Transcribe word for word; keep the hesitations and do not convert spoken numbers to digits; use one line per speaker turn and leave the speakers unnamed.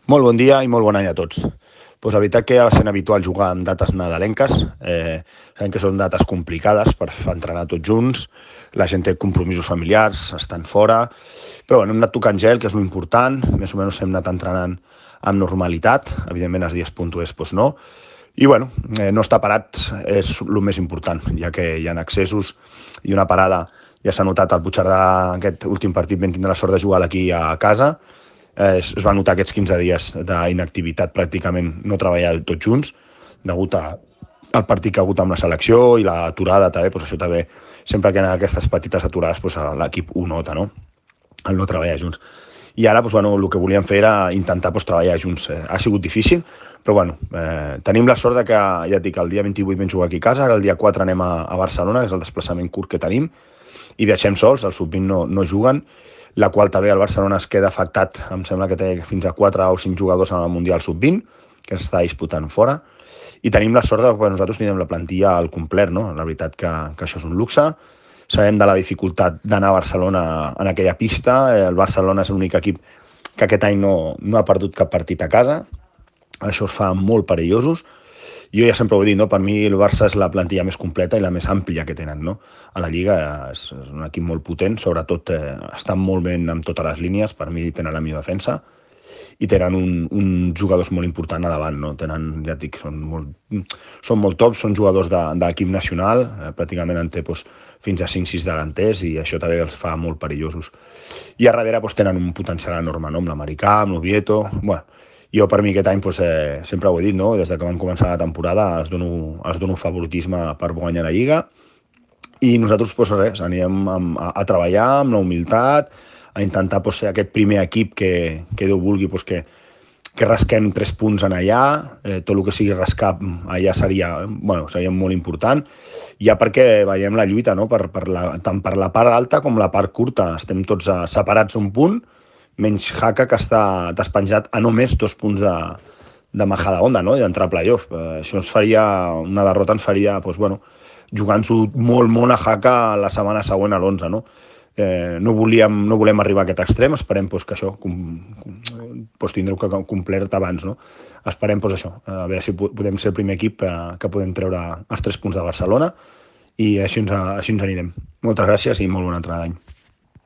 Molt bon dia i molt bon any a tots. Pues la veritat que ja va sent habitual jugar amb dates nadalenques. Eh, sabem que són dates complicades per entrenar tots junts, la gent té compromisos familiars, estan fora, però bueno, hem anat tocant gel, que és l'important, més o menys hem anat entrenant amb normalitat, evidentment els dies puntuers doncs no, i bueno, eh, no estar parats és el més important, ja que hi ha accessos i una parada. Ja s'ha notat al Puigcerdà, aquest últim partit vam tindre la sort de jugar aquí a casa. Eh, es va notar aquests quinze dies d'inactivitat, pràcticament no treballar tots junts, degut a, al partit que ha hagut amb la selecció i l'aturada també, doncs això també, sempre que hi ha aquestes petites aturades, doncs l'equip ho nota, no? El no treballar junts. I ara, doncs, bueno, el que volíem fer era intentar doncs, treballar junts. Eh, ha sigut difícil, però bueno, eh, tenim la sort de que, ja et dic, el dia vint-i-vuit vam jugar aquí a casa, ara el dia quatre anem a, a Barcelona, que és el desplaçament curt que tenim, i viatgem sols, els sub vint no, no juguen, la qual també el Barcelona es queda afectat, em sembla que té fins a quatre o cinc jugadors en el Mundial sub vint, que s'està disputant fora, i tenim la sort de que nosaltres tenim la plantilla al complet, no? La veritat que, que això és un luxe, sabem de la dificultat d'anar a Barcelona en aquella pista, el Barcelona és l'únic equip que aquest any no, no ha perdut cap partit a casa, això els fa molt perillosos. Jo ja sempre ho he dit, no? Per mi el Barça és la plantilla més completa i la més àmplia que tenen, no? A la Lliga és, és un equip molt potent, sobretot eh, estan molt ben amb totes les línies, per mi tenen la millor defensa, i tenen un, un jugadors molt important a davant, no? Tenen, ja et dic, són molt, són molt tops, són jugadors de, de l'equip nacional, eh, pràcticament en té doncs, fins a cinc sis delanters, i això també els fa molt perillosos. I a darrere doncs, tenen un potencial enorme, no? Amb l'Americà, amb l'Oviedo, bueno, jo per mi aquest any doncs, eh, sempre ho he dit, no? Des que van començar la temporada els dono, els dono favoritisme per guanyar la Lliga, i nosaltres doncs, res, anirem a, a, a treballar amb la humilitat, a intentar doncs, ser aquest primer equip que, que Déu vulgui doncs, que, que rasquem tres punts en allà, eh, tot el que sigui rascar allà seria, bueno, seria molt important, ja perquè veiem la lluita, no? per, per la, tant per la part alta com la part curta, estem tots a, separats un punt, menys Jaca, que està despenjat a només dos punts de, de Majadahonda, no? I d'entrar a playoff. Eh, això ens faria, una derrota ens faria, doncs, bueno, jugant-s'ho molt, molt a Jaca la setmana següent a l'onze, no? Eh, no, volíem, no volem arribar a aquest extrem, esperem doncs, que això com, com, doncs, tindreu que complert abans, no? Esperem doncs, això, a veure si podem ser el primer equip eh, que podem treure els tres punts de Barcelona, i així ens, així ens anirem. Moltes gràcies i molt bona entrada d'any.